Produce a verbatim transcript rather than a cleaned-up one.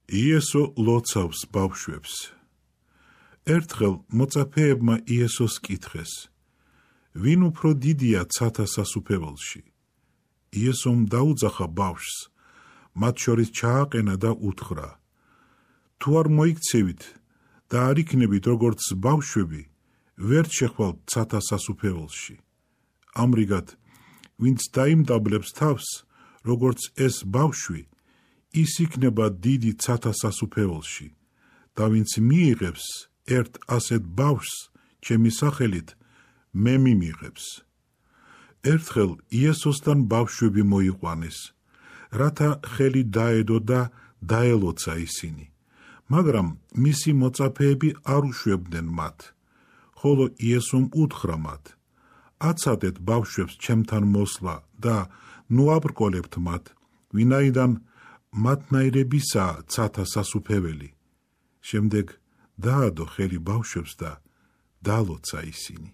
იესო ლოცავს ბავშვებს. ერთხელ მოწაფეებმა იესოს კითხეს, ვინ უფრო დიდია ცათა სასუფეველში? იესომ დაუძახა ბავშვს, მათ შორის ჩააყენა და უთხრა, თუ არ მოიქცევით და არ იქნებით როგორც ბავშვები, ვერ შეხვალთ ცათა სასუფეველში. ამრიგად, ვინც დაიმდაბლებს თავს, როგორც ეს ბავშვი, ის იქნება დიდი ცათა სასუფეველში და ვინც მიიღებს ერთ ასეთ ბავშვს ჩემი სახელით, მე მიმიღებს. ერთხელ იესოსთან ბავშვები მოიყვანეს, რათა ხელი დაედო და დაელოცა ისინი, მაგრამ მისი მოწაფეები არ უშვებდნენ მათ, ხოლო იესომ უთხრა მათ, აცადეთ ბავშვებს ჩემთან მოსვლა და ნუ აბრკოლებთ მათ, ვინაიდან მათნაირებისაა ცათა სასუფეველი. შემდეგ დაადო ხელი ბავშვებს და დაალოცა ისინი.